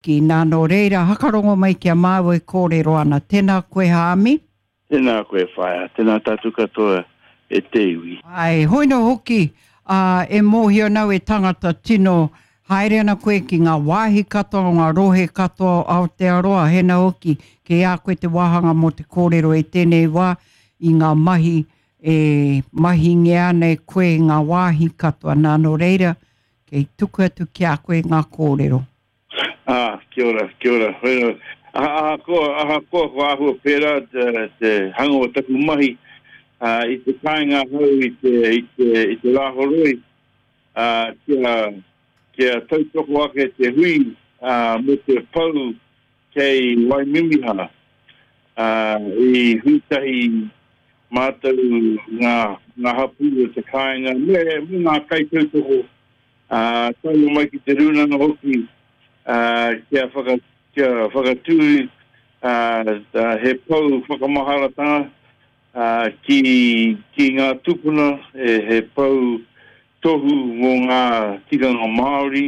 Ki, nā, nō reira, hakarongo mai ki a māua e kōrero ana. Tēnā koe Haami. Tēnā koe whaea, tēnā tātou katoa e te iwi. Āe, hoi nō hoki, ā, e mōhio ana au e tangata tino haere ana koe ki ngā wāhi katoa o ngā rohe katoa o Aotearoa, hena hoki, kei a koe te wāhanga mō te kōrero i tēnei wā i ngā mahi e mahingia ana e koe i ngā wāhi katoa, nā, nō reira, kei tuku atu ki a koe ngā kōrero. Ā, kia ora, kia ora. Whai, ahakoa, ahakoa kua āhua pērā te, te hanga o taku mahi, ā, i te kāinga ahau i te, i te, i te Rāhoroi, ā, kia, kia tautoko ake te hui, ā, mō te pou kei Waimimiha, ā, i hui tahi mātou ngā, ngā hapū o te kāinga me, me ngā kaitautoko ā, tae mai ki te rūnanga hoki, ā, kia whaka, kia whakatū, ā, he pou whakamaharatanga, ā, ki, ki ngā tūpuna, he, he pou tohu mō ngā tikanga Māori,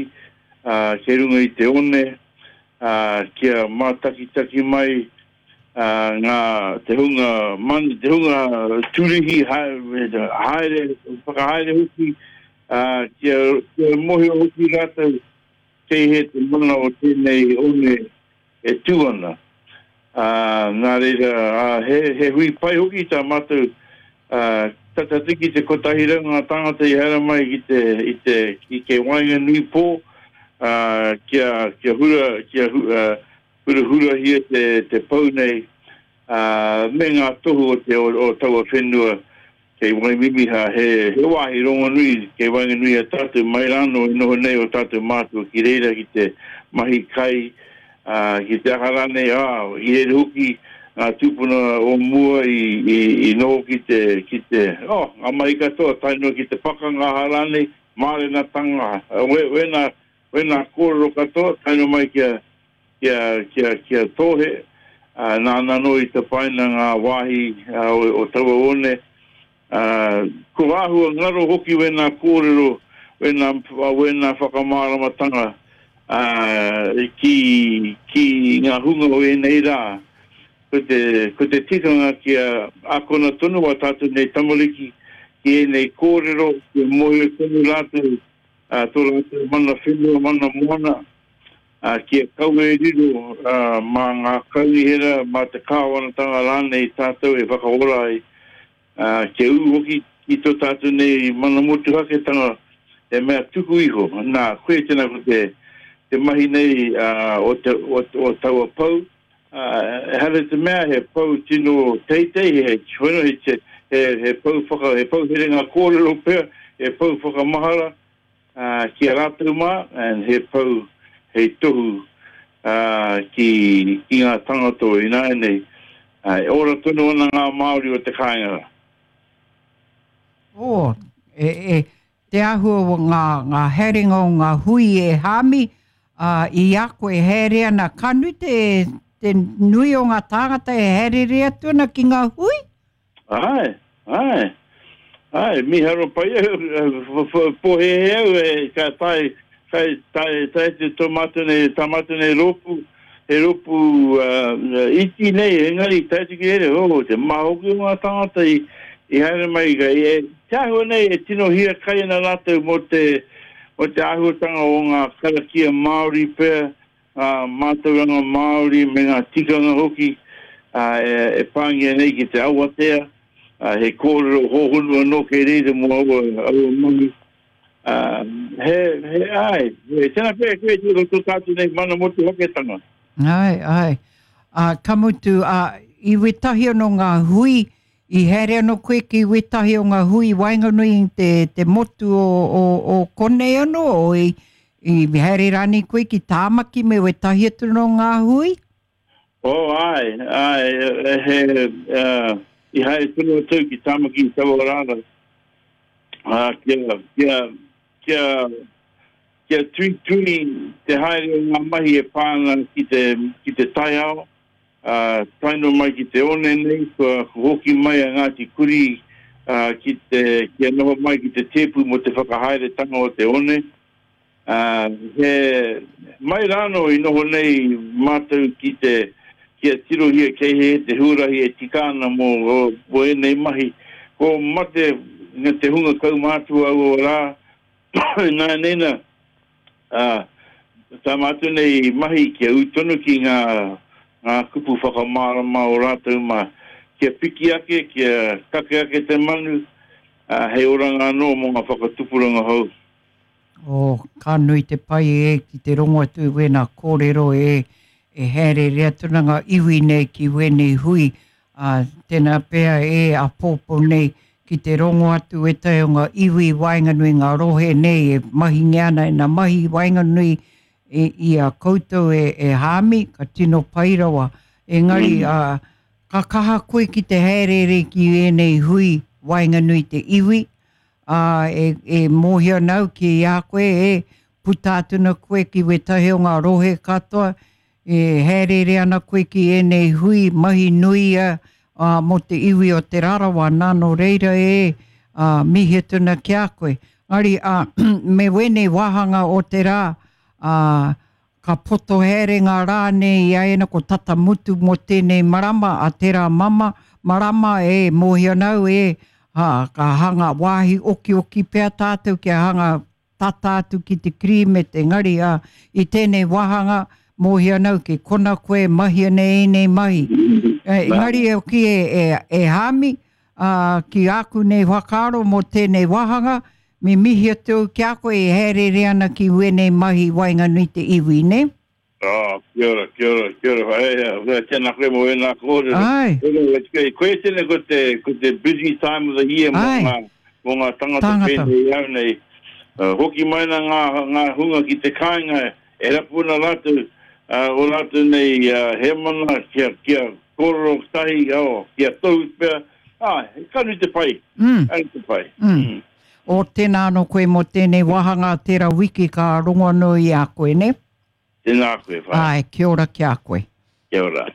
ā, kei runga i te one, ā, kia mātakitaki mai, ā, ngā, te hunga man, te hunga turihi haere, whakahaere hoki, ā, kia, kia mōhio hoki rātou kei hea te mana o tēnei one e tū ana. Ā, nā reira, ā, he, he hui pai hoki tā mātou, ā, tata atu ki te 100 ngā tāngata i haere mai ki te, i te, ki kei waenganui pō, ā, kia, kia hura, kia hu, ā, hurahurahia te, te pou nei, ā, me ngā tohu o te, o, o taua whenua kei Waimimiha, he, he wāhi rongonui kei waenganui i a tātou, mai rānō i noho nei ō tātou mātua ki reira ki te mahi kai, ā, ki te aha rānei, ā, i reira hoki ngā tūpuna o mua i, i, i noho ki te, ki te, oh, ngā mahi katoa tae noa ki te pakanga aha rānei, mārenatanga, we, wēnā, Wēnā kōrero katoa, tae noa mai kia, kia, kia, kia Tōhe, ā, nāna anō i tapaina ngā wāhi o, o taua one, ā, ko āhua ngaro hoki wēnā kōrero, wēnā, wēnā whakamāramatanga, ā, ki, ki ngā hunga o ēnei rā. Ko te, ko te tikanga kia akona tonu ā tātou nei tamariki ki ēnei kōrero, kia mōhio tonu rātou ā, tō rātou mana whenua, mana moana, ā, kia kaua e riro, ā, mā ngā kaunihera, mā te kāwanatanga rānei tātou e whakaora ai, ā, kia ū hoki ki tō tātou nei mana motuhaketanga he mea tuku iho. Nā, koia tēnā ko te, te mahi nei, ā, o te, o, o taua pou, ā, ehara i te mea he pou tino teitei, he, he, he, he, he pou whaka, he pou herenga kōrero pea, he pou whakamahara, ā, ki a rātou mā, and he pou hei tohu, ā, ki, ki ngā tangata o ināianei, ā, e ora tonu ana ngā Māori o te kāinga rā. Oh, e, e, te āhua o ngā, ngā haerenga o ngā hui e Hāmi, ā, i a koe e haere ana, ka nui te, te nui o ngā tāngata e haereere atu ana ki ngā hui? Āe, āe, āe, mīharo pai au, pōhēhē au e, ka tae, tae, tae, tae atu tō mātou nei, tā mātou nei rōpū, he rōpū iti nei, engari tae atu ki reira, oh, te maha hoki o ngā tāngata i, i haere mai, e, te āhua nei e tino hiakai ana rātou mō te, mō te āhuatanga o ngā karakia Māori pea, ngā mātauranga Māori me ngā tikanga hoki e, e pāngia nei ki te awatea, he kōrero hōhonu anō kei reira mō aua, aua mahi. Ā, he, he, āe, he, tēnā pea koe tō, tō tātou nei mana motuhaketanga. Āe, āe. Ā, ka mutu, ā, i wētahi anō ngā hui, i haere anō koe ki wētahi o ngā hui i waenganui i te, te motu o, o, o konei anō, o i, i haere rānei koe ki Tāmaki me wētahi atu anō ngā hui? Oh, āe, āe, he, uh, i haere tonu atu ki Tāmaki i taua rā rā. Ā, kia, kia, kia, kia tuitui te haere o ngā mahi e pā ana ki te, ki te taiao, ā, tae noa mai ki te one nei, kua hoki mai a Ngāti Kurī, ā, ki te, kia noho mai ki te tēpu mō te whakahaeretanga o te one. Ā, he mai rānō i noho nei mātou ki te, kia tirohia kei hea te huarahi e tika ana mō, mō ēnei mahi. Ko mate te hunga kaumātua aua rā, ināianei nā, ā, tā mātou nei mahi kia ū tonu ki ngā, ngā kupu whakamārama o rātou mā, kia piki ake, kia kake ake te manu, ā, hei oranga anō mō ngā whakatupuranga hou. Oh, ka nui te pai e ki te rongo atu i wēnā kōrero e, e hāereere atu ana ngā iwi nei ki wēnei hui, ā, tēnā pea e āpōpō nei ki te rongo atu wētahi o ngā iwi i waenganui i ngā rohe nei e mahingia ana ēnā mahi i waenganui i, i a koutou e, e Hāmi, ka tino pai rawa. Engari, ā, ka kaha koe ki te hāereere ki ēnei hui waenganui i te iwi, Ā, e, e mōhio ana au ki a koe, e, puta atu ana koe ki wētahi o ngā rohe katoa, e hāereere ana koe ki ēnei hui mahi nui a, ā, mō te iwi o Te Rarawa, nā, nō reira e, ā, mihi atu ana ki a koe. Engari, ā, me wēnei wāhanga o te rā, ā, Ka poto haere ngā rā nei i a ēnā ko tata mutu mō tēnei marama a tērā mama, marama e mōhio ana au e, ha, ka hanga wāhi okioki pea tātou kia hanga tata atu ki te kirīmete engari a, i tēnei wāhanga mōhio ana au ki kona koe e mahi ana ēnei mahi. Engari e hoki e, e, e Hāmi, ā, ki āku nei whakaaro mō tēnei wāhanga, Me mihi atu au ki a koe e haereere ana ki wēnei mahi i waenganui te iwi, nē? Oh, kia ora, kia ora, kia ora. Whaea, tēnā koe mō ēnā kōrero. Ai. Koia tēnei ko te, ko te busy time of the year mō ngā, mō ngā tangata pēnei i au nei. Hoki mai ana ngā, ngā hunga ki te kāinga e rapu ana rātou, ō rātou nei hēmana kia, kia kōrero tahi, oh, kia tohu pea, Āe, ka nui te pai. Mm. Ka nui te pai. Mm. Mm. O, tēnā anō koe mō tēnei wāhanga, tērā wiki ka rongo anō i a koe, nē? Tēnā koe, whaea. Āe, kia ora ki a koe. Kia ora.